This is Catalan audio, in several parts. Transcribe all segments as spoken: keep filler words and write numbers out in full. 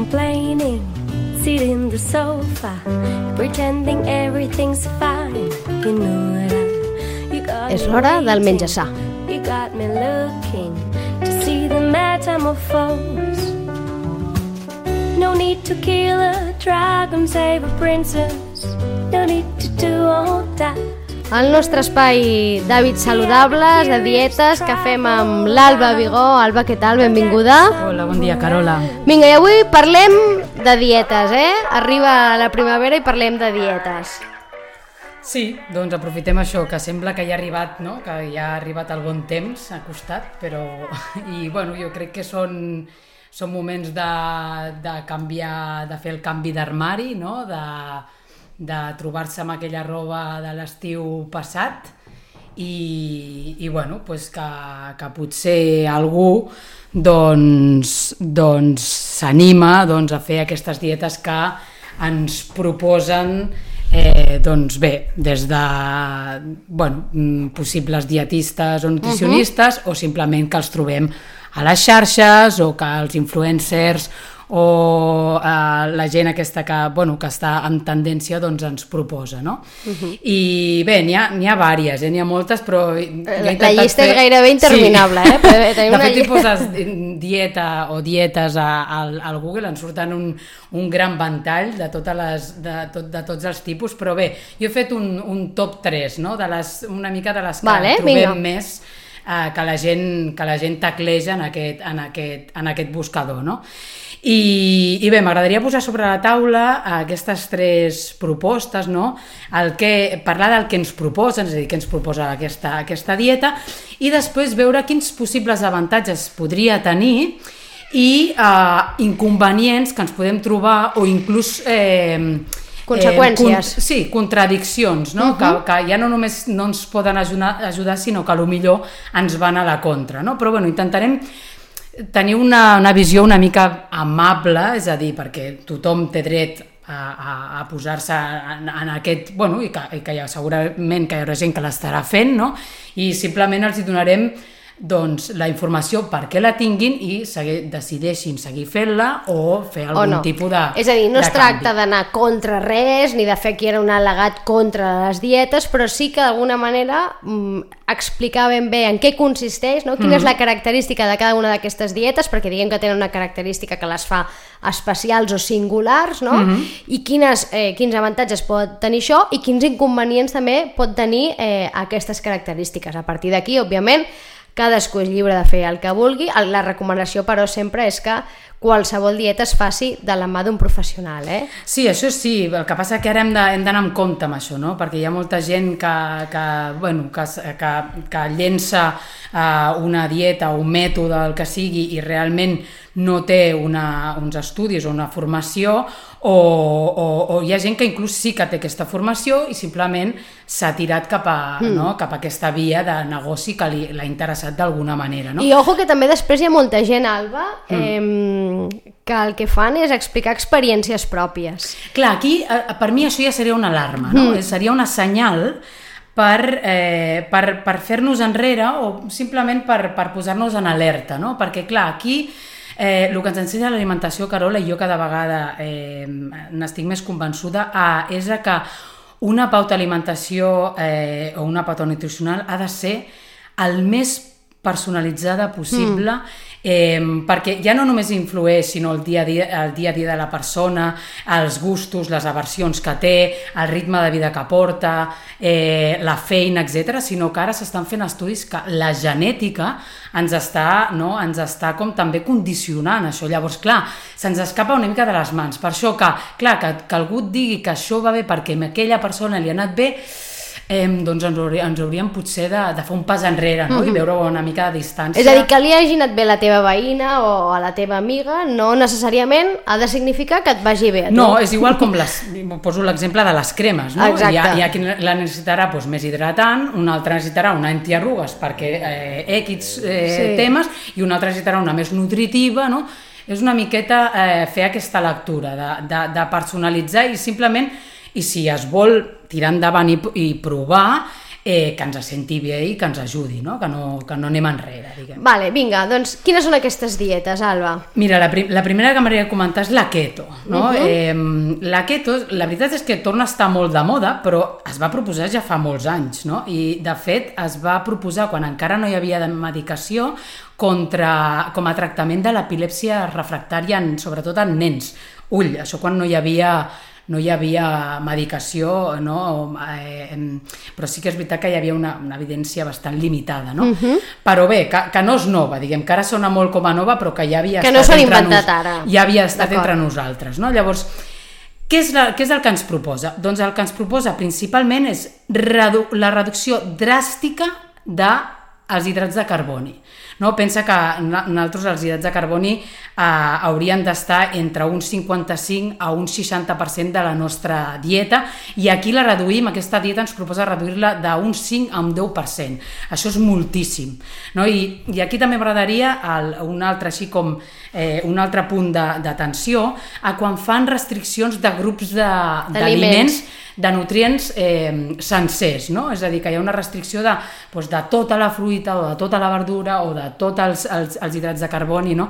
complaining, sit in the sofa, pretending everything's fine. You know that I, you got És l'hora del menjar sa. You got me looking to see the metamorphose. No need to kill a dragon, save a princess. No need to do all that. El nostre espai d'hàbits saludables, de dietes, que fem amb l'Alba Vigó. Alba, què tal? Benvinguda. Hola, bon dia, Carola. Vinga, i avui parlem de dietes, eh? Arriba la primavera i parlem de dietes. Sí, doncs aprofitem això, que sembla que ja ha arribat, no? Que ja ha arribat el bon temps a costat, però... I, bueno, jo crec que són, són moments de, de canviar, de fer el canvi d'armari, no? De, de trobar-se amb aquella roba de l'estiu passat i, i bueno, pues que, que potser algú doncs, doncs s'anima doncs, a fer aquestes dietes que ens proposen Eh, doncs bé, des de bueno, possibles dietistes o nutricionistes uh-huh. o simplement que els trobem a les xarxes o que els influencers o eh, la gent aquesta que, bueno, que està en tendència doncs ens proposa, no? Uh-huh. I bé, n'hi ha, n'hi ha vàries, eh? N'hi ha moltes, però... La, la llista fer... és gairebé interminable, sí. eh? Però de una... fet, si poses dieta o dietes a, a, al Google en surten un, un gran ventall de, totes les, de, tot, de tots els tipus, però bé, jo he fet un, un top tres, no? De les, una mica de les que vale, trobem vinga. més eh, que, la gent, que la gent tecleja en aquest, en aquest, en aquest buscador, no? I, i bé, m'agradaria posar sobre la taula aquestes tres propostes, no? El que, parlar del que ens proposen, és a dir, què ens proposa aquesta, aquesta dieta, i després veure quins possibles avantatges podria tenir i eh, inconvenients que ens podem trobar o inclús... Eh, conseqüències. Eh, con, sí, contradiccions, no? Uh-huh. que, que ja no només no ens poden ajudar, ajudar sinó que potser ens van a la contra, no? Però bueno, intentarem tenir una, una visió una mica amable, és a dir, perquè tothom té dret a, a, a posar-se en, en aquest... Bueno, i que, i que ja, segurament que hi haurà gent que l'estarà fent, no? I simplement els hi donarem doncs, la informació perquè la tinguin i segui, decideixin seguir fent-la o fer algun o no. tipus de És a dir, no es tracta canvi. d'anar contra res ni de fer aquí era un al·legat contra les dietes, però sí que d'alguna manera mm, explicar ben bé en què consisteix, no? Quina mm. és la característica de cada una d'aquestes dietes, perquè diguem que tenen una característica que les fa especials o singulars, no? Mm-hmm. I quines, eh, quins avantatges pot tenir això i quins inconvenients també pot tenir eh, aquestes característiques. A partir d'aquí, òbviament, cadascú és lliure de fer el que vulgui. La recomanació, però, sempre és que qualsevol dieta es faci de la mà d'un professional, eh? Sí, això sí, el que passa que ara hem de, hem d'anar amb compte amb això, no? Perquè hi ha molta gent que, que, bueno, que, que, que llença uh, una dieta o un mètode, el que sigui, i realment no té una, uns estudis o una formació, o, o, o hi ha gent que inclús sí que té aquesta formació i simplement s'ha tirat cap a, mm. no? cap a aquesta via de negoci que li, l'ha interessat d'alguna manera, no? I ojo que també després hi ha molta gent, Alba, mm. eh, que el que fan és explicar experiències pròpies. Clar, aquí per mi això ja seria una alarma, no? Mm. Seria una senyal per, eh, per, per fer-nos enrere o simplement per, per posar-nos en alerta, no? Perquè clar, aquí eh, el que ens ensenya l'alimentació, Carola, i jo cada vegada eh, n'estic més convençuda, a, és a que una pauta d'alimentació eh, o una pauta nutricional ha de ser el més personalitzada possible, mm. eh, perquè ja no només influeix sinó el dia a dia, el dia a dia de la persona, els gustos, les aversions que té, el ritme de vida que porta, eh, la feina, etcètera, sinó que ara s'estan fent estudis que la genètica ens està, no, ens està com també condicionant això. Llavors, clar, se'ns escapa una mica de les mans. Per això que, clar, que, que algú et digui que això va bé perquè a aquella persona li ha anat bé, Eh, doncs ens, hauríem, ens hauríem potser de, de fer un pas enrere, no? Mm-hmm. I veure una mica de distància. És a dir, que li hagi anat bé la teva veïna o a la teva amiga no necessàriament ha de significar que et vagi bé a tu. No, és igual com les, poso l'exemple de les cremes, no? Exacte. Hi ha, hi ha qui la necessitarà doncs, més hidratant, un altre necessitarà una antiarrugues perquè eh, equis eh, sí. temes, i un altre necessitarà una més nutritiva, no? És una miqueta eh, fer aquesta lectura de, de, de personalitzar i simplement, i si es vol tirar endavant i, i provar, eh, que ens senti bé i que ens ajudi, no? Que, no, que no anem enrere, diguem. Vale, vinga, doncs quines són aquestes dietes, Alba? Mira, la, prim la primera que m'agradaria comentar és la keto, no? Uh-huh. eh, la keto, la veritat és que torna a estar molt de moda, però es va proposar ja fa molts anys, no? I de fet es va proposar quan encara no hi havia medicació contra, com a tractament de l'epilèpsia refractària, en, sobretot en nens. Ull, això quan no hi havia... no hi havia medicació, no? eh, però sí que és veritat que hi havia una, una evidència bastant limitada, no? Uh-huh. Però bé, que, que no és nova, diguem, que ara sona molt com a nova, però que ja havia que estat, no s'han entre, inventat nos, ara. Ja havia estat entre nosaltres, no? Llavors, què és, la, què és el que ens proposa? Doncs el que ens proposa principalment és redu la reducció dràstica dels hidrats de carboni. No? Pensa que nosaltres els hidrats de carboni eh, haurien d'estar entre un cinquanta-cinc a un seixanta per cent de la nostra dieta i aquí la reduïm, aquesta dieta ens proposa reduir-la d'un cinc a un deu per cent. Això és moltíssim. No? I, I aquí també m'agradaria un altre, així com eh, un altre punt d'atenció a quan fan restriccions de grups d'aliments, de nutrients eh, sencers, no? És a dir, que hi ha una restricció de, doncs, de tota la fruita o de tota la verdura o de tots els, els, els hidrats de carboni, no?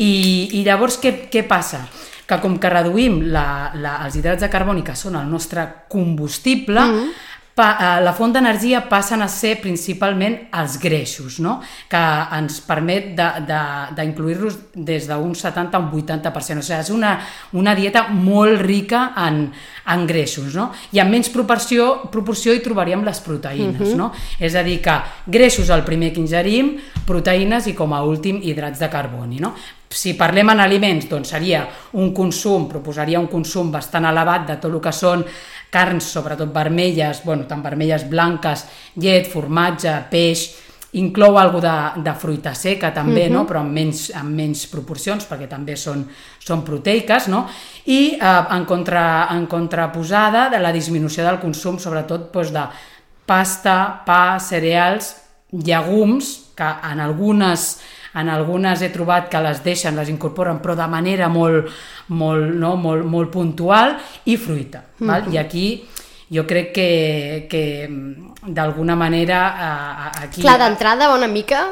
I, i llavors què, què passa? Que com que reduïm la, la, els hidrats de carboni, que són el nostre combustible, mm-hmm. pa, la font d'energia passen a ser principalment els greixos, no? Que ens permet d'incluir-los de, de, des d'un setanta a un vuitanta per cent. O sigui, és una, una dieta molt rica en, en greixos, no? I en menys proporció, proporció hi trobaríem les proteïnes, uh-huh. no? És a dir, que greixos el primer que ingerim, proteïnes i com a últim hidrats de carboni, no? Si parlem en aliments, doncs seria un consum, proposaria un consum bastant elevat de tot el que són carns, sobretot vermelles, bueno, tant vermelles, blanques, llet, formatge, peix, inclou alguna de, de fruita seca també, uh-huh. no? Però en menys, en menys proporcions, perquè també són, són proteiques, no? I eh, en, contra, en contraposada de la disminució del consum, sobretot doncs, de pasta, pa, cereals, llegums, que en algunes... En algunes he trobat que les deixen, les incorporen, però de manera molt, molt, no? molt, molt puntual, i fruita. Mm-hmm. Val? I aquí jo crec que, que d'alguna manera eh, aquí... Clar, d'entrada va una mica...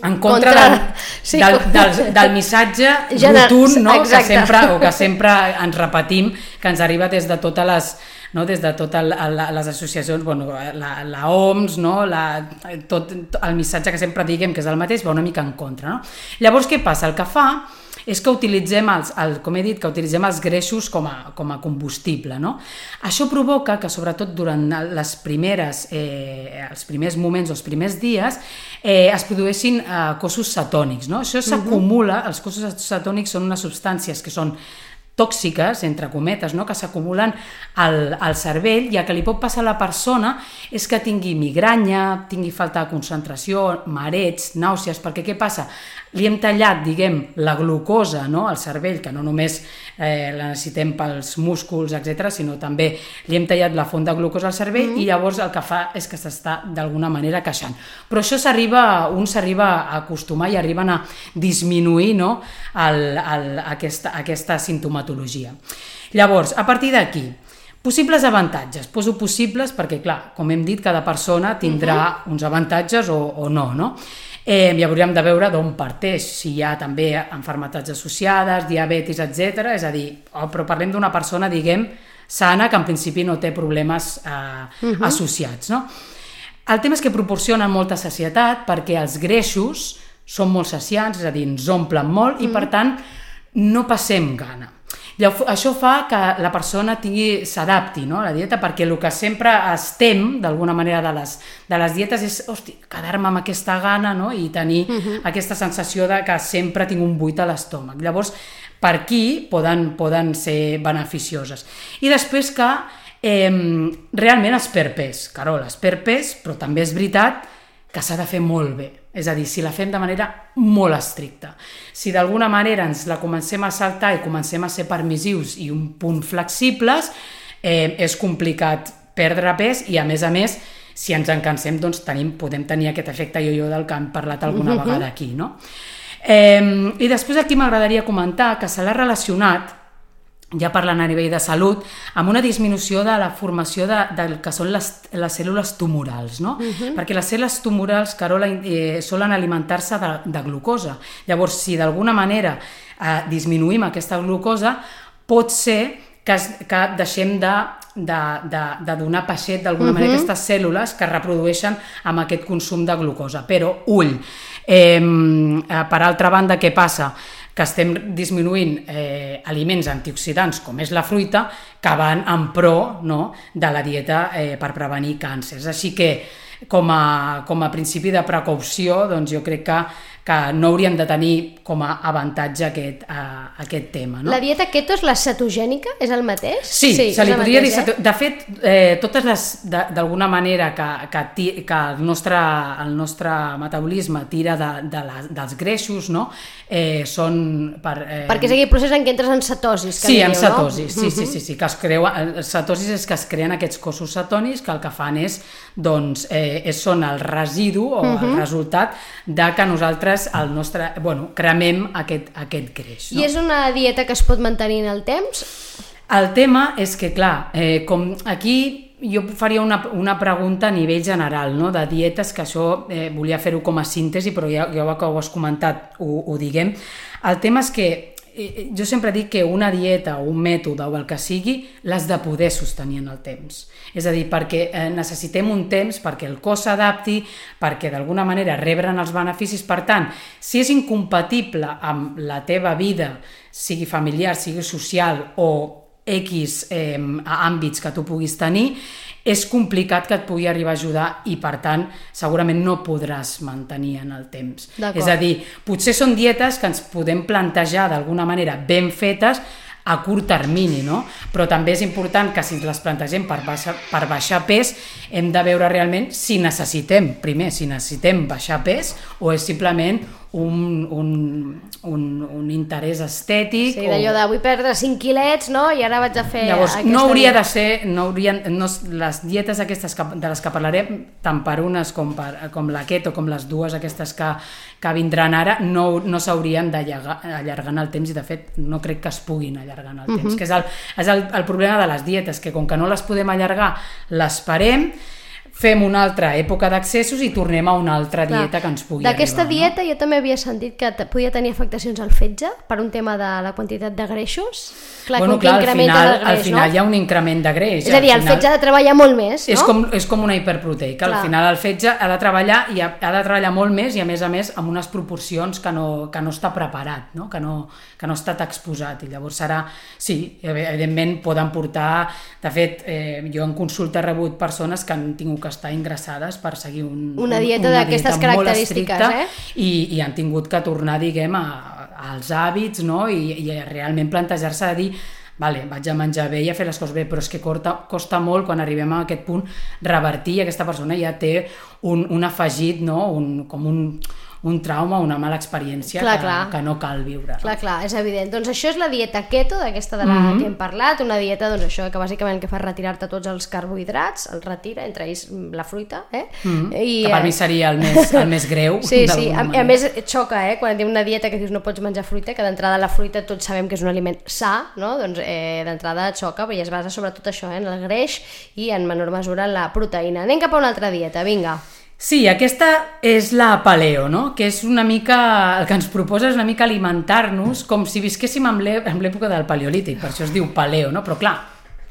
En contra, contra... Del, sí. del, del, del missatge Gener... rotund, no? que, sempre, o que sempre ens repetim, que ens arriba des de totes les... No, des de totes les associacions, bueno, la, la O M S, no? la, tot el missatge que sempre diguem que és el mateix va una mica en contra. No? Llavors, què passa? El que fa és que utilitzem, els, el, com he dit, que utilitzem els greixos com a, com a combustible. No? Això provoca que, sobretot durant les primeres, eh, els primers moments o els primers dies, eh, es produeixin eh, cossos cetònics. No? Això s'acumula, els cossos cetònics són unes substàncies que són tòxiques, entre cometes, no? Que s'acumulen al, al cervell, i el que li pot passar a la persona és que tingui migranya, tingui falta de concentració, marets, nàusees, perquè què passa? Li hem tallat, diguem, la glucosa, no? Al cervell, que no només eh, la necessitem pels músculs, etcètera, sinó també li hem tallat la font de glucosa al cervell, mm. i llavors el que fa és que s'està d'alguna manera queixant. Però això s'arriba, un s'arriba a acostumar i arriben a disminuir, no? el, el, aquesta, aquesta sintomatologia. Llavors, a partir d'aquí, possibles avantatges. Poso possibles perquè, clar, com hem dit, cada persona tindrà uh-huh. uns avantatges o, o no, no? Eh, ja hauríem de veure d'on parteix, si hi ha també malalties associades, diabetis, etcètera. És a dir, oh, però parlem d'una persona, diguem, sana, que en principi no té problemes eh, uh-huh. associats, no? El tema és que proporcionen molta sacietat perquè els greixos són molt saciants, és a dir, ens omplen molt uh-huh. i, per tant, no passem gana. Això fa que la persona s'adapti, no, a la dieta, perquè el que sempre es tem, d'alguna manera, de les, de les dietes és, hosti, quedar-me amb aquesta gana, no? I tenir uh-huh. aquesta sensació de que sempre tinc un buit a l'estómac. Llavors, per aquí poden, poden ser beneficioses. I després que eh, realment es perd pes. Carol, es perd pes, però també és veritat que s'ha de fer molt bé. És a dir, si la fem de manera molt estricta. Si d'alguna manera ens la comencem a saltar i comencem a ser permissius i un punt flexibles, eh, és complicat perdre pes i, a més a més, si ens en cansem, doncs tenim, podem tenir aquest efecte yo-yo del que hem parlat alguna uh-huh. vegada aquí, no? Eh, I després aquí m'agradaria comentar que se l'ha relacionat ja parlant a nivell de salut, amb una disminució de la formació de, del que són les, les cèl·lules tumorals, no? Uh-huh. Perquè les cèl·lules tumorals, Carola, eh, solen alimentar-se de, de glucosa. Llavors, si d'alguna manera eh, disminuïm aquesta glucosa, pot ser que, es, que deixem de, de, de, de donar peixet d'alguna uh-huh. manera aquestes cèl·lules que reprodueixen amb aquest consum de glucosa. Però, ull, eh, per altra banda, què passa? Que estem disminuint eh, aliments antioxidants, com és la fruita, que van en pro, no?, de la dieta eh, per prevenir càncers. Així que, com a, com a principi de precaució, doncs jo crec que, que no hauríem de tenir com a avantatge aquest, uh, aquest tema. No? La dieta keto és la cetogènica? És el mateix? Sí, sí se li podria mateix, dir... Eh? De fet, eh, totes les, d'alguna manera que, que, que el, nostre, el nostre metabolisme tira de, de la, dels greixos, no? eh, són... Per, eh... Perquè és aquell procés en què entres en cetosis. Que sí, diu, en cetosis, no? sí, sí, sí, sí, que es creu, cetosis és que es creen aquests cossos cetònics que el que fan és, doncs, eh, són el residu o uh-huh. el resultat de que nosaltres el nostre, bueno, cremem aquest, aquest greix. No? I és una dieta que es pot mantenir en el temps? El tema és que, clar, eh, com aquí jo faria una, una pregunta a nivell general, no? De dietes, que això eh, volia fer-ho com a síntesi, però ja, ja que ho has comentat, ho, ho diguem. El tema és que eh, jo sempre dic que una dieta o un mètode o el que sigui l'has de poder sostenir en el temps. És a dir, perquè eh, necessitem un temps perquè el cos s'adapti, perquè d'alguna manera rebren els beneficis. Per tant, si és incompatible amb la teva vida, sigui familiar, sigui social o X eh, àmbits que tu puguis tenir, és complicat que et pugui arribar a ajudar i, per tant, segurament no podràs mantenir en el temps. És a dir, potser són dietes que ens podem plantejar d'alguna manera ben fetes a curt termini, no? Però també és important que si les plantegem per baixar, per baixar pes, hem de veure realment si necessitem, primer, si necessitem baixar pes o és simplement un, un, un, un interès estètic. Sí, d'allò de vull perdre cinc quilets, no? I ara vaig a fer... Llavors, no hauria dieta. de ser, no haurien, no, les dietes aquestes que, de les que parlarem, tant per unes com, per, com la keto, com les dues aquestes que, que vindran ara, no, no s'haurien d'allargar en el temps i, de fet, no crec que es puguin allargar en el temps, uh-huh. que és, el, és el, el problema de les dietes, que com que no les podem allargar, les parem, fem una altra època d'accessos i tornem a una altra dieta que ens pugui arribar. D'aquesta dieta, no? Jo també havia sentit que podia tenir afectacions al fetge per un tema de la quantitat de greixos. Clar, bueno, clar, al final, greix, al final no? Hi ha un increment de greix. És a dir, el fetge ha de treballar molt més, no? És com, és com una hiperproteica. Clar. Al final el fetge ha de treballar i ha, ha de treballar molt més i, a més a més, amb unes proporcions que no, que no està preparat, no? Que, no, que no ha estat exposat. I llavors serà... Sí, evidentment poden portar... De fet, eh, jo en consulta he rebut persones que han tingut que estar ingressades per seguir un, una dieta d'aquestes característiques, eh? I, i han tingut que tornar, diguem, a, als hàbits, no? I, i realment plantejar-se de dir vale, vaig a menjar bé i a fer les coses bé, però és que costa, costa molt quan arribem a aquest punt revertir i aquesta persona ja té un, un afegit, no? un, com un... un trauma, una mala experiència clar, que, clar. que no cal viure. Clar, clar, és evident. Doncs això és la dieta keto, d'aquesta de la mm-hmm. que hem parlat, una dieta, doncs això, que bàsicament que fa retirar-te tots els carbohidrats, els retira, entre ells la fruita, eh? Mm-hmm. I, que per mi seria el més, el més greu. Sí, sí, a, a més xoca, eh? Quan diu una dieta que dius no pots menjar fruita, que d'entrada la fruita tots sabem que és un aliment sa, no? Doncs eh, d'entrada xoca, perquè es basa sobretot això, eh? En el greix i en menor mesura en la proteïna. Anem cap a una altra dieta, vinga. Sí, aquesta és la paleo, no? Que és una mica, el que ens proposa és una mica alimentar-nos com si visquéssim en l'època del paleolític, per això es diu paleo, no? Però clar,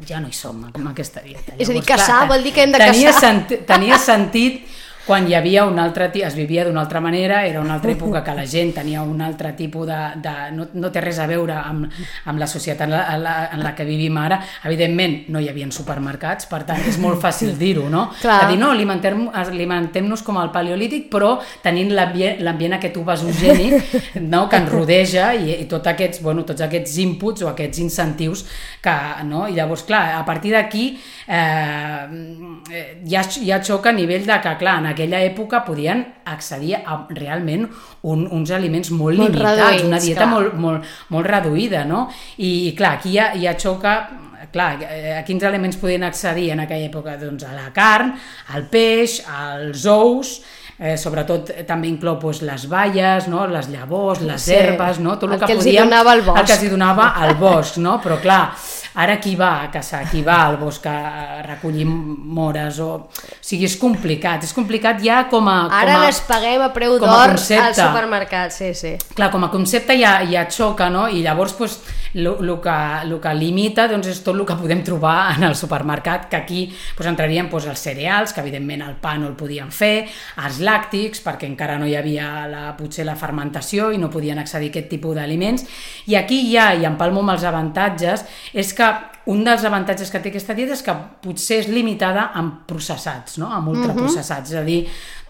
ja no hi som amb aquesta dieta. Llavors, és a dir, caçar clar, vol dir que hem de tenia caçar. Senti, tenia sentit quan hi havia un altre, es vivia d'una altra manera, era una altra època que la gent tenia un altre tipus de... de no, no té res a veure amb, amb la societat en la, en, la, en la que vivim ara. Evidentment, no hi havia supermercats, per tant, és molt fàcil dir-ho, no? Clar. De dir, no, alimentem-nos alimentem com al paleolític, però tenint l'ambient aquest obesogènic, no?, que ens rodeja i, i tot aquests, bueno, tots aquests inputs o aquests incentius que, no? I llavors, clar, a partir d'aquí eh, ja, ja xoca a nivell de que, clar, en aquella època podien accedir a realment un, uns aliments molt, molt limitats, reduïts, una dieta molt, molt, molt reduïda, no? I, i clar, aquí ja, ja xoca, clar, a quins aliments podien accedir en aquella època? Doncs a la carn, al peix, als ous, eh, sobretot eh, també inclou pues, les baies, no? Les llavors, les Sí. herbes, no? Tot el, El que, que els hi podíem, donava el bosc. el que els hi donava al bosc, no? Però clar, ara qui va a caçar, qui va al bosc a recollir mores, o... o sigui, és complicat, és complicat ja com a... Com Ara a, les paguem a preu com a d'or al concepte. supermercat, sí, sí. Clar, com a concepte ja, ja et xoca, no? I llavors, pues, el que, lo que limita doncs, és tot el que podem trobar en el supermercat, que aquí pues, entrarien pues, els cereals, que evidentment el pa no el podien fer, els làctics, perquè encara no hi havia la, potser la fermentació i no podien accedir a aquest tipus d'aliments, i aquí ja, i empalmo amb els avantatges, és que un dels avantatges que té aquesta dieta és que potser és limitada amb processats, no? Amb ultraprocessats, és a dir,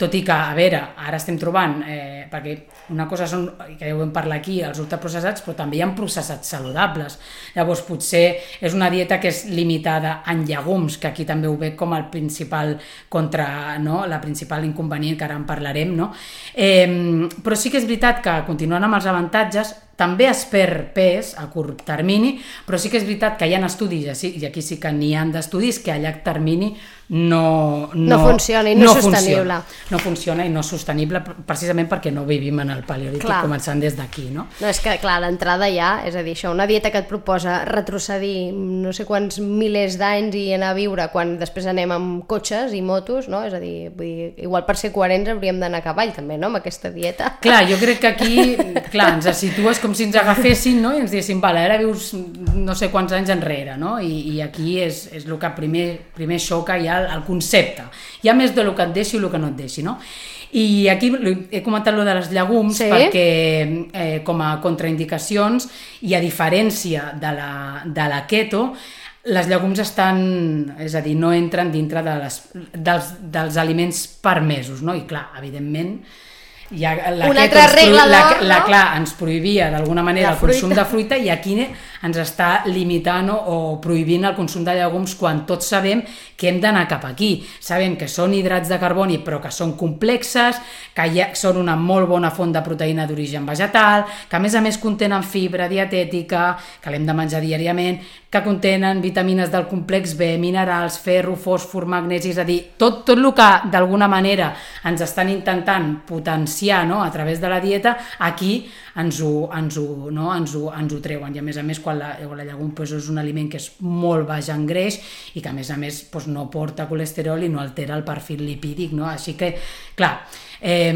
tot i que, a veure, ara estem trobant, eh, perquè una cosa són, que ja ho vam parlar aquí, els ultraprocessats, però també hi ha processats saludables. Llavors, potser és una dieta que és limitada en llegums, que aquí també ho veig com el principal contra, no? La principal inconvenient, que ara en parlarem, no? Eh, però sí que és veritat que, continuant amb els avantatges, també es perd pes a curt termini, però sí que és veritat que hi ha estudis, i aquí sí que n'hi ha d'estudis, que a llarg termini no, no, No funciona i no és sostenible. Funciona, no funciona i no és sostenible precisament perquè no vivim en el paleolític, Clar. començant des d'aquí, no? No, és que, clar, l'entrada ja, és a dir, això, una dieta que et proposa retrocedir no sé quants milers d'anys i anar a viure quan després anem amb cotxes i motos, no? És a dir, vull dir, igual per ser coherents hauríem d'anar a cavall també, no?, amb aquesta dieta. Clar, jo crec que aquí, clar, ens situes com si ens agafessin, no?, i ens diguessin, vale, ara vius no sé quants anys enrere, no?, i, i aquí és, és el que primer, primer xoca ja el, el concepte. Hi ha més del que et deixi i el que no et deixi, no? I aquí he comentat lo de les llegums, sí? Perquè eh, com a contraindicacions i a diferència de la, de la keto, les llegums estan, és a dir, no entren dintre de les, dels, dels aliments permesos, no? I clar, evidentment, ja la una keto altra ens, regla la, d'or, la, no? clar, ens prohibia d'alguna manera La el consum fruita. de fruita i aquí ens està limitant o, o prohibint el consum de llegums quan tots sabem que hem d'anar cap aquí. Sabem que són hidrats de carboni però que són complexes, que ja són una molt bona font de proteïna d'origen vegetal, que a més a més contenen fibra dietètica, que l'hem de menjar diàriament, que contenen vitamines del complex B, minerals, ferro, fòsfor, magnesi, és a dir, tot, tot el que d'alguna manera ens estan intentant potenciar, no?, a través de la dieta, aquí ens ho, ens ho, no? ens ho, ens ho treuen. I a més a més, quan la, la llegum pues, és un aliment que és molt baix en greix i que a més a més pues, no porta colesterol i no altera el perfil lipídic, no? Així que, clar, eh,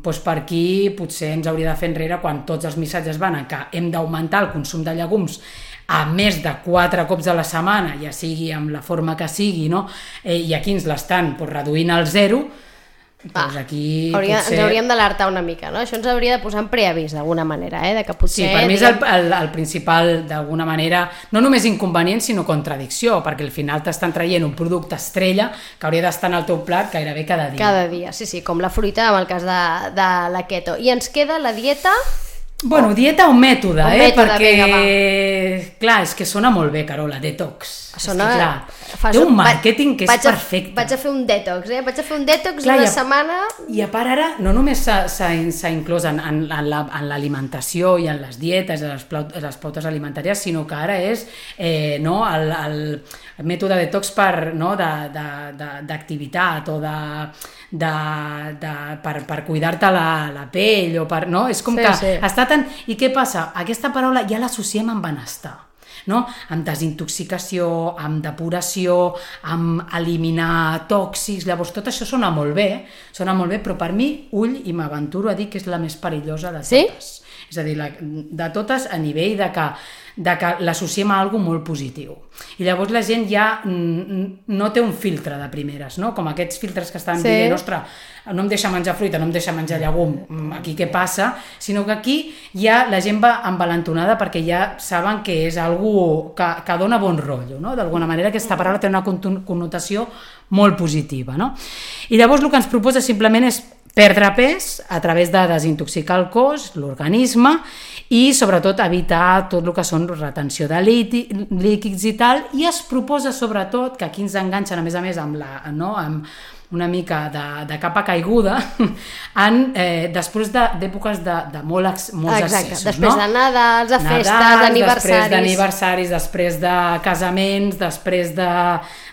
pues per aquí potser ens hauria de fer enrere quan tots els missatges van a que hem d'augmentar el consum de llegums a més de quatre cops a la setmana, ja sigui amb la forma que sigui, no? Eh, i aquí ens l'estan pues, reduint al zero. Pues aquí Hauria, potser... Ens hauríem d'alertar una mica, no? Això ens hauria de posar en preavís d'alguna manera, eh? De que potser, Sí, per mi és el, el, el principal, d'alguna manera, no només inconvenient, sinó contradicció, perquè al final t'estan traient un producte estrella que hauria d'estar en el teu plat gairebé cada dia. Cada dia, sí, sí, com la fruita en el cas de, de la keto. I ens queda la dieta... Bueno, dieta o mètode, o eh? mètode, Perquè, vinga, clar, és que sona molt bé, Carola, detox. Sona... És que, clar, Fas té un un- màrqueting que és vaig a, perfecte. Vaig a fer un detox, eh? Vaig a fer un detox Clar, una i a- setmana... I a part ara, no només s'ha s'ha- s'ha inclòs en, en, en la- en l'alimentació i en les dietes, en les, plaut, les pautes alimentàries, sinó que ara és eh, no, el, el, el mètode detox per, no, d'activitat o de, de, de, per, per cuidar-te la, la pell o per, no? És com Sí, que sí. està tan... I què passa? Aquesta paraula ja l'associem amb benestar, no? Amb desintoxicació, amb depuració, amb eliminar tòxics. Llavors tot això sona molt bé, sona molt bé, però per mi, ull, i m'aventuro a dir que és la més perillosa de Sí? totes. És a dir, la, de totes a nivell de que, de que l'associem a alguna molt positiu. I llavors la gent ja mm, no té un filtre de primeres, no? Com aquests filtres que estan Sí. dient, ostres, no em deixa menjar fruita, no em deixa menjar llegum, mm, aquí què passa? Sinó que aquí ja la gent va envalentonada perquè ja saben que és algú que, que dona bon rotllo, no? D'alguna manera aquesta paraula té una connotació molt positiva, no? I llavors el que ens proposa simplement és perdre pes a través de desintoxicar el cos, l'organisme, i sobretot evitar tot el que són retenció de líquids i tal, i es proposa sobretot, que aquí ens enganxen a més a més amb, la, no? amb, una mica de, de capa caiguda en, eh, després d'èpoques de, de, de molt ex, molts Exacte. excessos. Després no? de Nadals, de festes, Nadals, d'aniversaris. Després d'aniversaris, després de casaments, després de,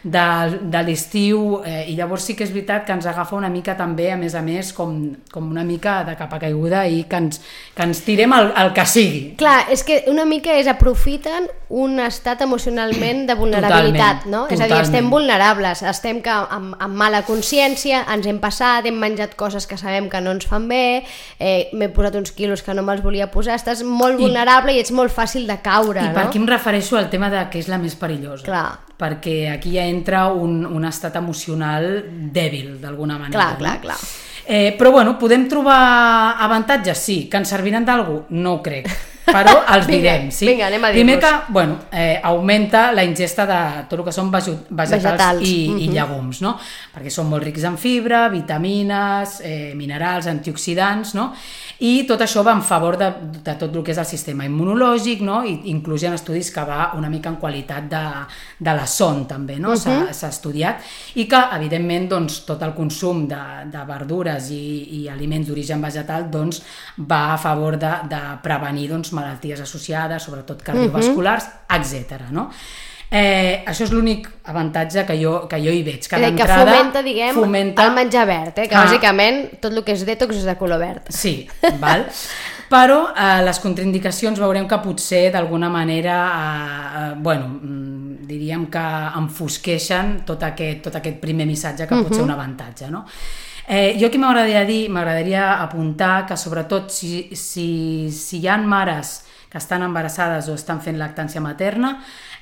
de, de l'estiu, eh, i llavors sí que és veritat que ens agafa una mica també, a més a més, com, com una mica de capa caiguda i que ens, que ens tirem el, el que sigui. Clar, és que una mica és aprofiten un estat emocionalment de vulnerabilitat, totalment, no? Totalment. És a dir, estem vulnerables, estem que amb, amb mala consciència, ens hem passat, hem menjat coses que sabem que no ens fan bé, eh, m'he posat uns quilos que no me'ls volia posar, estàs molt vulnerable i, i ets molt fàcil de caure, I no? per aquí em refereixo al tema de que és la més perillosa. Clar. Perquè aquí ja entra un, un estat emocional dèbil, d'alguna manera. Clar, clar, no? clar. Eh, però bueno, podem trobar avantatges? Sí. Que ens serviran d'algú? No ho crec. Però els vinga, direm, sí? Vinga, anem a dir-los. Primer que, bueno, eh, augmenta la ingesta de tot el que són vegetals, Vegetals. i, Mm-hmm. i llegums, no? Perquè són molt rics en fibra, vitamines, eh, minerals, antioxidants, no? I tot això va en favor de, de tot el que és el sistema immunològic, no? I inclús hi ha estudis que va una mica en qualitat de, de la son, també, no? Uh-huh. S'ha estudiat. I que, evidentment, doncs, tot el consum de, de verdures i, i aliments d'origen vegetal doncs, va a favor de, de prevenir doncs, malalties associades, sobretot cardiovasculars, uh-huh. etcètera. No? Eh, això és l'únic avantatge que jo, que jo hi veig. Que, que fomenta, diguem, fomenta... el menjar verd, eh? que ah. bàsicament tot el que és detox és de color verd. Sí, val? Però eh, les contraindicacions veurem que potser d'alguna manera eh, eh, bueno, diríem que enfosqueixen tot aquest, tot aquest primer missatge que uh-huh. pot ser un avantatge, no? Eh, jo aquí m'agradaria dir, m'agradaria apuntar que sobretot si, si, si hi ha mares que estan embarassades o estan fent lactància materna,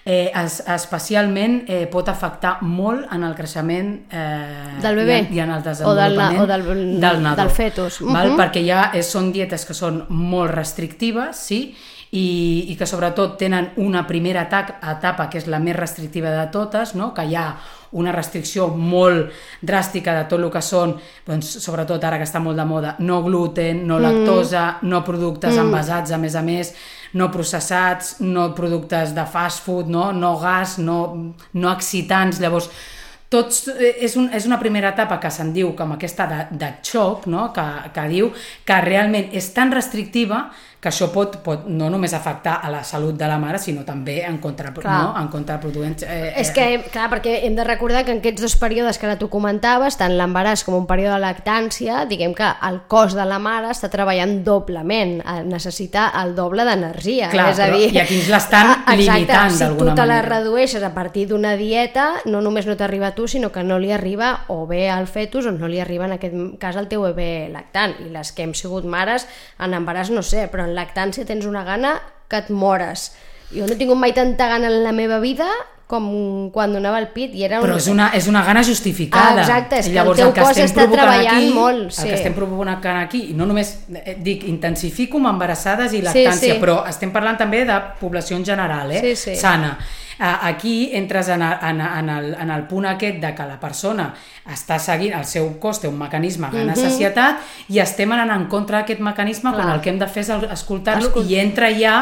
eh, es, especialment eh, pot afectar molt en el creixement eh, del bebè i, en, i en el desenvolupament o del, o del, del nadó, del fetus. Uh-huh. Val? Perquè ja és, són dietes que són molt restrictives, sí? I, i que sobretot tenen una primera etapa que és la més restrictiva de totes, no? Que hi ha una restricció molt dràstica de tot el que són, doncs, sobretot ara que està molt de moda, no gluten, no lactosa, mm. no productes mm. envasats, a més a més, no processats, no productes de fast food, no, no gas, no, no excitants. Llavors, tots, és, un, és una primera etapa que se'n diu com aquesta de, de xoc, no? que, que diu que realment és tan restrictiva que això pot, pot no només afectar a la salut de la mare, sinó també en, contra, no? en contraproduent. Eh, és que, clar, perquè hem de recordar que en aquests dos períodes que ara tu comentaves, tant l'embaràs com un període de lactància, diguem que el cos de la mare està treballant doblement, necessita el doble d'energia. Clar, és a dir, i aquí ens l'estan limitant si d'alguna manera. Si tu te la redueixes a partir d'una dieta, no només no t'arriba a tu, sinó que no li arriba o bé al fetus o no li arriba en aquest cas al teu bebè lactant. I les que hem sigut mares en embaràs no sé, però en lactància tens una gana que et mores. Jo no he tingut mai tanta gana en la meva vida com quan donava el pit i era un... Però és una, és una gana justificada. Ah, exacte, és que llavors, el teu el que cos està treballant aquí, molt. Sí. El que estem provocant aquí, i no només eh, dic intensifico amb embarassades i lactància, sí, sí. però estem parlant també de població en general, eh? sí, sí. sana. Aquí entres en el, en, en, el, en el punt aquest de que la persona està seguint, el seu cos té un mecanisme gana-sacietat uh-huh. i estem anant en contra d'aquest mecanisme Clar. Quan el que hem de fer és escoltar-lo Escol... i entra ja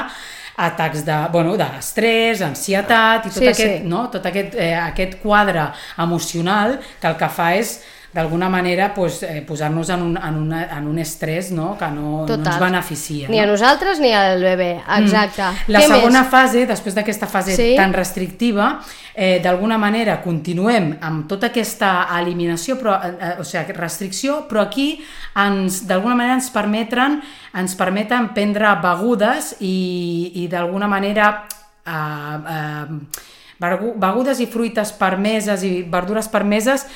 atacs de, bueno, d'estrès, ansietat i tot, sí, aquest, sí. no? tot aquest, eh, aquest quadre emocional que el que fa és d'alguna manera pues, eh, posar-nos en un, en, una, en un estrès no? que no, no ens beneficia. Ni no? a nosaltres ni al bebè, exacte. Mm. La Què segona més? fase, després d'aquesta fase sí? tan restrictiva, eh, d'alguna manera continuem amb tota aquesta eliminació, però, eh, o sigui, restricció, però aquí ens, d'alguna manera ens permeten, ens permeten prendre begudes i, i d'alguna manera eh, eh, begudes i fruites permeses i verdures permeses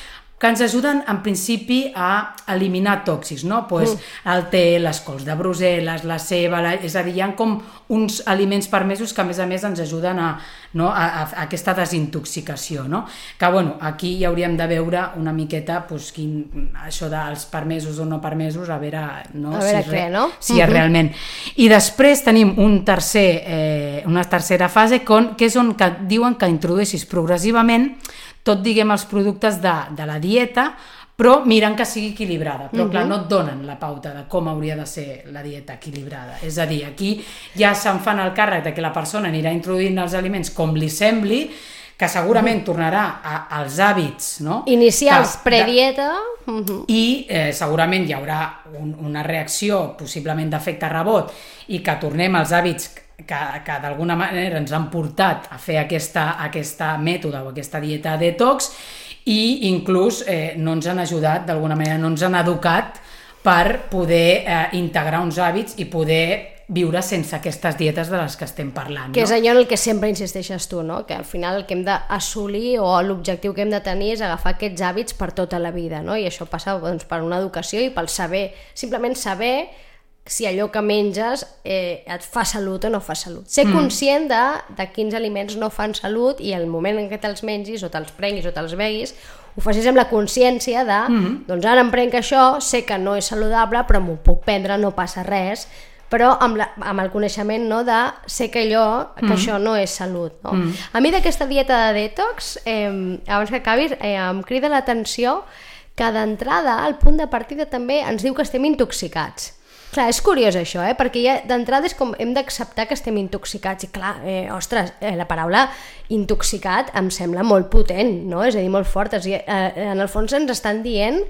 que ens ajuden en principi a eliminar tòxics, no? Pues mm. el te, les cols de Brussel·les, la ceba, la... és a dir, hi ha com uns aliments permesos que a més a més ens ajuden a, no? a, a, a aquesta desintoxicació, no? Que bueno, aquí hi hauríem de veure una miqueta pues, quin, això dels permesos o no permesos, a veure, no? A veure si, què, no? Si uh-huh. realment. I després tenim un tercer, eh, una tercera fase con, que és on que diuen que introdueixis progressivament tot, diguem, els productes de, de la dieta, però miren que sigui equilibrada. Però, uh-huh. clar, no et donen la pauta de com hauria de ser la dieta equilibrada. És a dir, aquí ja se'n fan el càrrec de que la persona anirà introduint els aliments com li sembli, que segurament tornarà a, als hàbits, no? Inicials, que, predieta... Uh -huh. I eh, segurament hi haurà un, una reacció, possiblement d'efecte rebot, i que tornem als hàbits que, que d'alguna manera ens han portat a fer aquesta, aquesta mètode o aquesta dieta detox, i inclús eh, no ens han ajudat, d'alguna manera no ens han educat per poder eh, integrar uns hàbits i poder viure sense aquestes dietes de les que estem parlant. Que no? és allò en el que sempre insisteixes tu, no? Que al final el que hem d'assolir o l'objectiu que hem de tenir és agafar aquests hàbits per tota la vida, no? I això passa doncs, per una educació i pel saber, simplement saber si allò que menges eh, et fa salut o no fa salut. Ser mm. conscient de, de quins aliments no fan salut i el moment en què te'ls mengis o te'ls prenguis o te'ls beguis ho facis amb la consciència de mm. doncs ara em prenc això, sé que no és saludable però m'ho puc prendre, no passa res, però amb, la, amb el coneixement, no, de sé que allò, que mm. això no és salut, no? Mm. A mi d'aquesta dieta de detox, eh, abans que acabis, eh, em crida l'atenció que d'entrada, el punt de partida també ens diu que estem intoxicats. Clar, és curiós això, eh? Perquè ja d'entrada és com hem d'acceptar que estem intoxicats i clar, eh, ostres, eh, la paraula intoxicat em sembla molt potent, no? És a dir, molt fort. És, eh, en el fons ens estan dient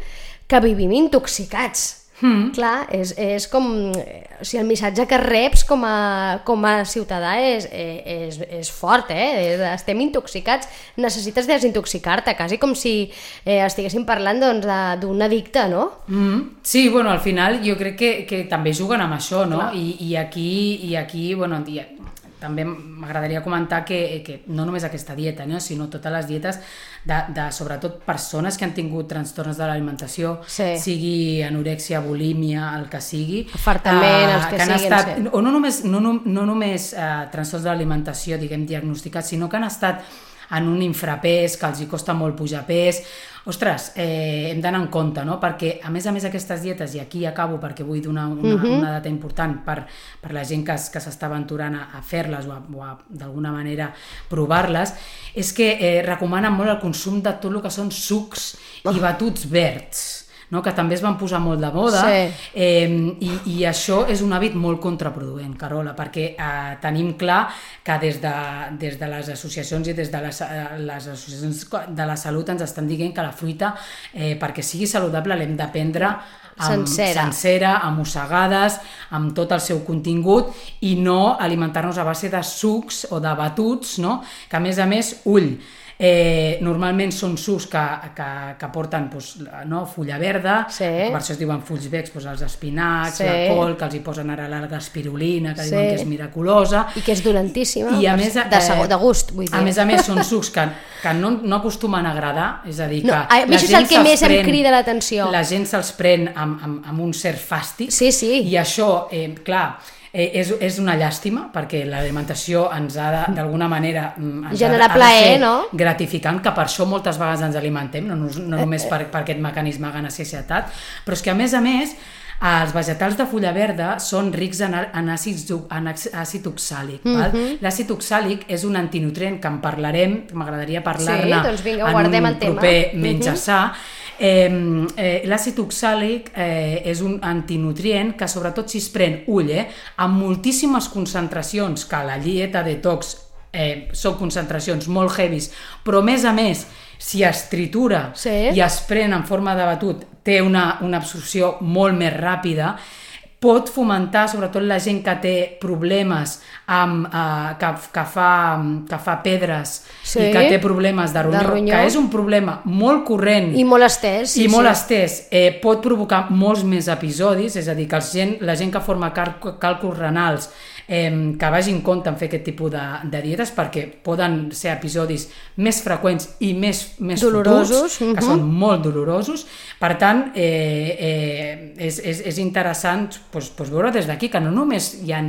que vivim intoxicats. Mm. Clar, és, és com... O sigui, el missatge que reps com a, com a ciutadà és, és, és fort, eh? Estem intoxicats, necessites desintoxicar-te, quasi com si eh, estiguéssim parlant doncs, d'un addicte, no? Mm. Sí, bueno, al final jo crec que, que també juguen amb això, no? I, i aquí, i aquí bueno, i, també m'agradaria comentar que, que no només aquesta dieta, no? Sinó totes les dietes de, de sobretot persones que han tingut trastorns de l'alimentació, sí. sigui anorèxia, bulímia, el que sigui, afartament, uh, els que, que han siguin, estat, sí. o no només, no, no, no només uh, trastorns de l'alimentació, diguem, diagnosticats, sinó que han estat en un infrapès, que els hi costa molt pujar pes. Ostres, eh, hem d'anar en compte, no? Perquè a més a més aquestes dietes, i aquí acabo perquè vull donar una, uh-huh. una data important per, per la gent que, que s'està aventurant a, a fer-les o, a, o a, d'alguna manera provar-les, és que eh, recomanen molt el consum de tot el que són sucs oh. i batuts verds, no? Que també es van posar molt de moda, sí. eh, i, i això és un hàbit molt contraproduent, Carola, perquè eh, tenim clar que des de, des de les associacions i des de les, les associacions de la salut ens estan dient que la fruita, eh, perquè sigui saludable, l'hem de prendre amb, sencera. sencera, amb mossegades, amb tot el seu contingut, i no alimentar-nos a base de sucs o de batuts, no? Que a més a més, ull, Eh, normalment són sucs que, que, que porten doncs, no, fulla verda, sí. Per això es diuen fulls verds, doncs, els espinacs, sí. La col, que els hi posen ara l'alga espirulina, que sí. Diuen que és miraculosa. I que és dolentíssima, I a més, de, eh, de gust, vull dir. A més a més són sucs que, que no, no acostumen a agradar, és a dir, que no, a mi això és el que més pren, em crida l'atenció. La gent se'ls pren amb, amb, amb un cert fàstic, sí, sí. I això, eh, clar... Eh, és, és una llàstima perquè l'alimentació ens ha de, d'alguna manera ens generar ha de, plaer, ha de ser no? gratificant, que per això moltes vegades ens alimentem, no, no només per, per aquest mecanisme de sacietat, però és que a més a més els vegetals de fulla verda són rics en, en, àcid, en àcid oxàlic. Mm-hmm. L'àcid oxàlic és un antinutrient que en parlarem, m'agradaria parlar-ne sí, doncs vinga, en un el proper tema. Menjar Sa. Eh, eh, l'àcid oxàlic eh, és un antinutrient que sobretot si es pren ull, eh, amb moltíssimes concentracions, que la dieta detox eh, són concentracions molt heavies, però a més a més si es tritura sí. I es pren en forma de batut té una, una absorció molt més ràpida, pot fomentar sobretot la gent que té problemes amb, eh, que, que, fa, que fa pedres sí. I que té problemes de ronyó, de ronyó, que és un problema molt corrent i molt estès, sí, i molt sí. estès eh, pot provocar molts més episodis, és a dir, que el gent, la gent que forma cal, càlculs renals eh, que vagi en compte en fer aquest tipus de, de dietes, perquè poden ser episodis més freqüents i més, més dolorosos, futurs, uh-huh. Que són molt dolorosos. Per tant, eh, eh, és, és, és interessant pues, pues veure des d'aquí que no només hi ha,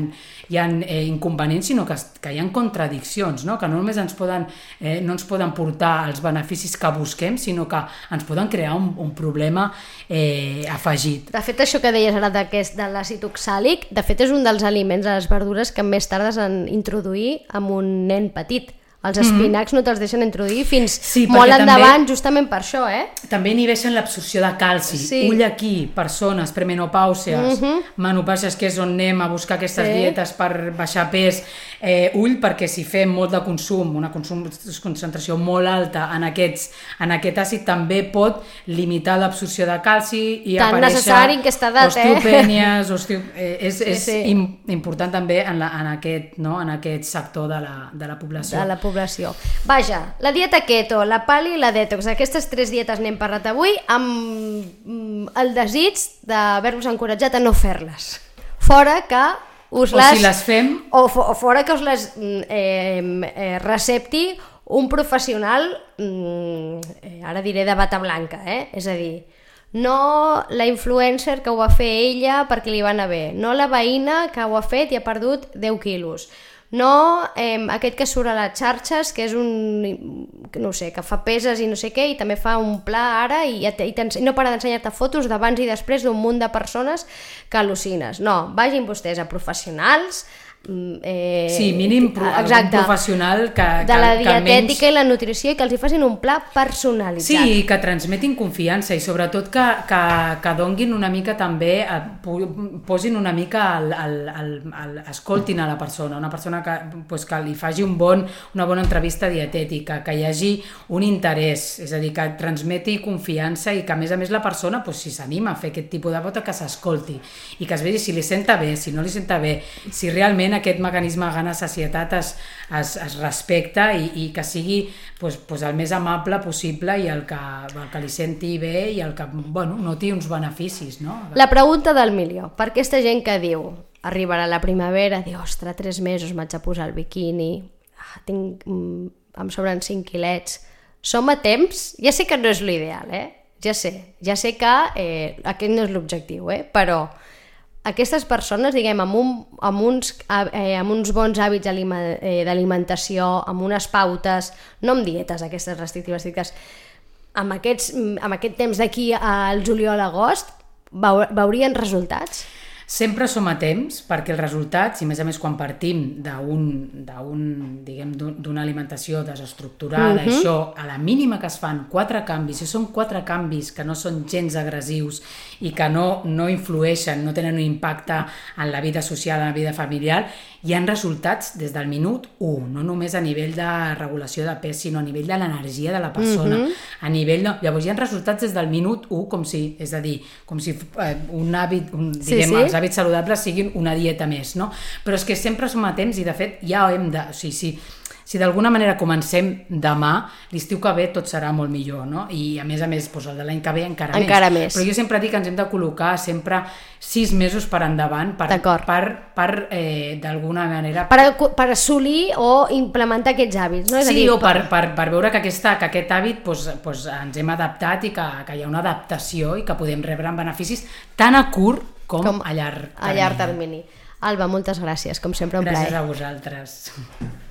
hi ha eh, inconvenients, sinó que, que hi ha contradiccions, no? Que no només ens poden, eh, no ens poden portar els beneficis que busquem, sinó que ens poden crear un, un problema eh, afegit. De fet, això que deies ara d'aquest, de l'àcid oxàlic, de fet és un dels aliments, de les verdures, que més tardes en introduir amb un nen petit, Els espinacs mm. no te'ls deixen introduir fins sí, molt endavant, també, justament per això, eh? També inhibeixen l'absorció de calci. Sí. Ull aquí, persones premenopàusies, mm -hmm. menopàusies, que és on anem a buscar aquestes sí. dietes per baixar pes. Eh, ull, perquè si fem molt de consum, una consum, concentració molt alta en, aquests, en aquest àcid, també pot limitar l'absorció de calci i tan aparèixer necessari en aquesta edat, osteopènies, osteo... eh, és, sí, és sí. im, important també en, la, en, aquest, no? en aquest sector de la, de la població. De la població. Vaja, la dieta keto, la pali i la detox, aquestes tres dietes n'hem parlat avui amb el desig d'haver-vos encoratjat a no fer-les. Fora que us o les... si les fem... O, o fora que us les eh, eh, recepti un professional, eh, ara diré de bata blanca, eh? És a dir, no la influencer que ho va fer ella perquè li va anar bé, no la veïna que ho ha fet i ha perdut deu quilos, no eh, aquest que surt a les xarxes, que és un, no sé, que fa peses i no sé què, i també fa un pla ara i, i no para d'ensenyar-te fotos d'abans i després d'un munt de persones que al·lucines. No, vagin vostès a professionals, Eh, sí, mínim pro, exacte, professional que, de la que, dietètica que i la nutrició i que els hi facin un pla personalitzat. Sí, i que transmetin confiança i sobretot que, que, que donguin una mica també, posin una mica al, al, al, al, escoltin a la persona, una persona que, pues, que li faci un bon, una bona entrevista dietètica, que hi hagi un interès, és a dir, que transmeti confiança i que a més a més la persona, pues, si s'anima a fer aquest tipus de vota, que s'escolti i que es vegi si li senta bé, si no li senta bé, si realment aquest mecanisme de gana-sacietat es, es, es respecta i, i que sigui pues, pues el més amable possible i el que, el que li senti bé i el que bueno, noti uns beneficis. No? La pregunta del milió, per aquesta gent que diu arribarà la primavera, diu, ostres, tres mesos m'haig de posar el biquini, ah, tinc, mm, em sobren cinc quilets, som a temps? Ja sé que no és l'ideal, eh? ja sé, ja sé que eh, aquest no és l'objectiu, eh? Però aquestes persones, diguem, amb, un, amb, uns, eh, amb uns bons hàbits d'alimentació, amb unes pautes, no amb dietes aquestes restrictives, restrictives amb, aquests, amb aquest temps d'aquí al juliol-agost, veurien resultats? Sempre som a temps, perquè els resultats, i a més a més quan partim d'una alimentació desestructurada, uh-huh. això, a la mínima que es fan quatre canvis, i són quatre canvis que no són gens agressius i que no, no influeixen, no tenen un impacte en la vida social, en la vida familiar, hi ha resultats des del minut u, no només a nivell de regulació de pes, sinó a nivell de l'energia de la persona. Uh-huh. A nivell de... Llavors hi ha resultats des del minut u, com si, és a dir, com si eh, un hàbit, un, diguem, sí, sí. els hàbits saludables siguin una dieta més, no? Però és que sempre som a temps i de fet ja hem de... O sigui, si, si d'alguna manera comencem demà, l'estiu que ve tot serà molt millor, no? I a més a més, doncs el de l'any que ve encara, encara més. més. Però jo sempre dic que ens hem de col·locar sempre sis mesos per endavant per, per, per eh, d'alguna manera... Per, per assolir o implementar aquests hàbits, no? És sí, a dir, o per, per, per veure que, aquesta, que aquest hàbit doncs, doncs ens hem adaptat i que, que hi ha una adaptació i que podem rebre en beneficis tant a curt com, com a llarg termini. A llarg termini. Alba, moltes gràcies, com sempre un gràcies plaer. Gràcies a vosaltres.